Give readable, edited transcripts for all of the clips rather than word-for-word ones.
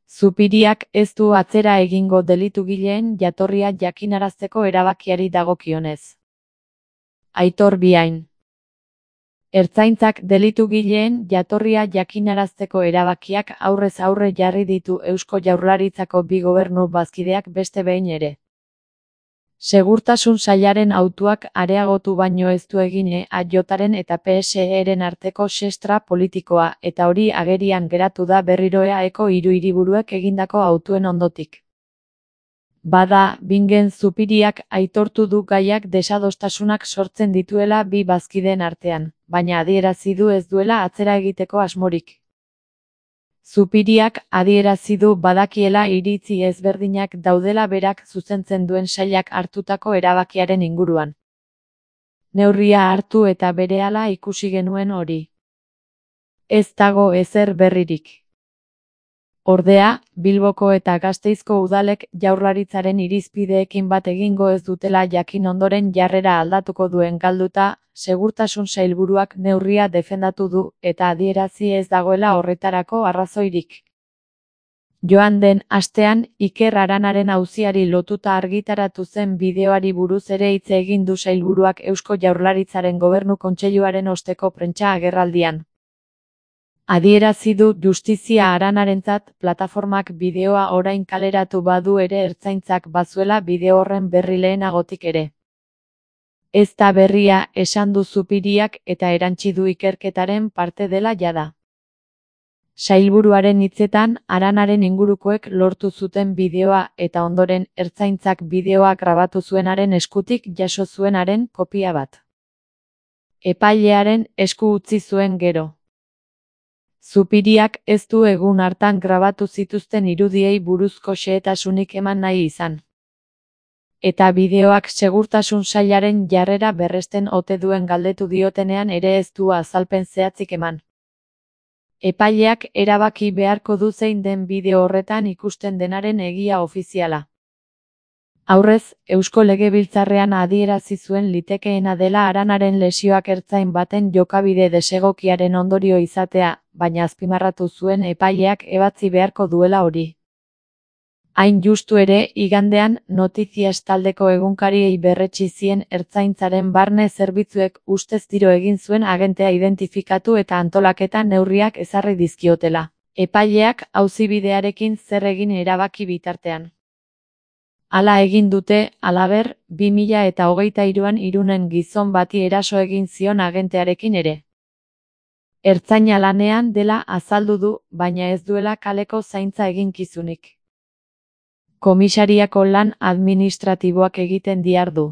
Zupiriak ez du atzera egingo delitugileen jatorria jakinarazteko erabakiari dagokionez. Aitor Biain. Ertzaintzak delitugileen jatorria jakinarazteko erabakiak aurrez aurre jarri ditu Eusko Jaurlaritzako bi gobernu bazkideak beste behin ere. Segurtasun sailaren hautuak areagotu baino ez du egin EAJaren eta PSE-ren arteko xestra politikoa, eta hori agerian geratu da berriro EAeko hiru hiriburuek egindako hautuen ondotik. Bada, Bingen Zupiriak aitortu du gaiak desadostasunak sortzen dituela bi bazkideen artean, baina adierazi du ez duela atzera egiteko asmorik. Zupiriak adierazi du badakiela iritzi ezberdinak daudela berak zuzentzen duen sailak hartutako erabakiaren inguruan. Neurria hartu eta berehala ikusi genuen hori. Ez dago ezer berririk. Ordea, Bilboko eta Gasteizko udalek Jaurlaritzaren irizpideekin bat egingo ez dutela jakin ondoren jarrera aldatuko duen galduta, Segurtasun Sailburuak neurria defendatu du eta adierazi ez dagoela horretarako arrazoirik. Joan den astean, Iker Aranaren auziari lotuta argitaratu zen bideoari buruz ere hitz egin du sailburuak Eusko Jaurlaritzaren Gobernu Kontseiluaren osteko prentsa agerraldian. Adierazi du justizia Aranarentzat plataformak bideoa orain kaleratu badu ere ertzaintzak bazuela bideo horren berri lehenagotik ere. Ez da berria esan du Zupiriak eta erantsi du ikerketaren parte dela jada. Sailburuaren hitzetan, Aranaren ingurukoek lortu zuten bideoa eta ondoren ertzaintzak bideoa grabatu zuenaren eskutik jaso zuenaren kopia bat. Epailearen esku utzi zuen gero. Zupiriak ez du egun hartan grabatu zituzten irudiei buruzko xehetasunik eman nahi izan. Eta bideoak segurtasun sailaren jarrera berresten ote duen galdetu diotenean ere ez du azalpen zehatzik eman. Epaileak erabaki beharko du zein den bideo horretan ikusten denaren egia ofiziala. Aurrez, Eusko Legebiltzarrean adierazi zuen litekeena dela Aranaren lesioak ertzain baten jokabide desegokiaren ondorio izatea, baina azpimarratu zuen epaileak ebatzi beharko duela hori. Hain justu ere, igandean, Notizias taldeko egunkariei berretsi zien ertzaintzaren barne zerbitzuek ustez tiro egin zuen agentea identifikatu eta antolaketa neurriak ezarri dizkiotela. Epaileak auzibidearekin zer egin erabaki bitartean. Hala egin dute, halaber, 2023an Irunen gizon bati eraso egin zion agentearekin ere. Ertzaina lanean dela azaldu du, baina ez duela kaleko zaintza eginkizunik. Komisariako lan administratiboak egiten dihardu.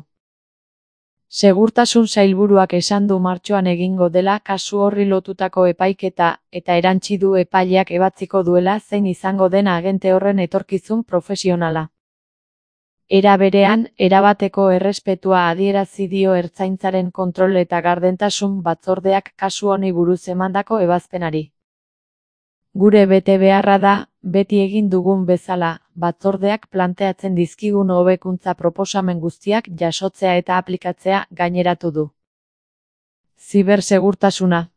Segurtasun Sailburuak esan du martxoan egingo dela kasu horri lotutako epaiketa, eta erantsi du epaileak ebatziko duela zein izango den agente horren etorkizun profesionala. Era berean, erabateko errespetua adierazi dio ertzaintzaren kontrol eta gardentasun batzordeak kasu honi buruz emandako ebazpenari. Gure betebeharra da, beti egin dugun bezala, batzordeak planteatzen dizkigun hobekuntza proposamen guztiak jasotzea eta aplikatzea gaineratu du. Zibersegurtasuna.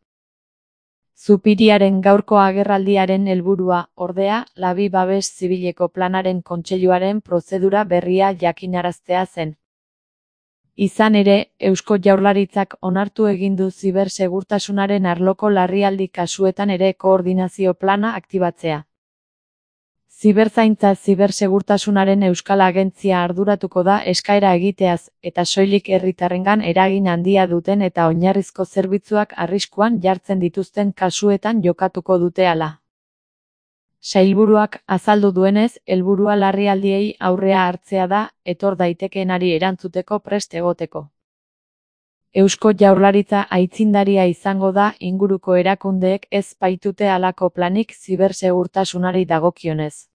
Zupiriaren gaurko agerraldiaren helburua, ordea, Labi Babes Zibileko Planaren Kontseiluaren prozedura berria jakinaraztea zen. Izan ere, Eusko Jaurlaritzak onartu egin du zibersegurtasunaren arloko larrialdi kasuetan ere koordinazio plana aktibatzea. Ziberzaintza zibersegurtasunaren Euskal Agentzia arduratuko da eskaera egiteaz, eta soilik herritarrengan eragin handia duten eta oinarrizko zerbitzuak arriskuan jartzen dituzten kasuetan jokatuko dute hala. Sailburuak azaldu duenez, helburua larrialdiei aurrea hartzea da, etor daitekeenari erantzuteko prest egoteko. Eusko Jaurlaritza aitzindaria izango da inguruko erakundeek ez baitute halako planik zibersegurtasunari dagokionez.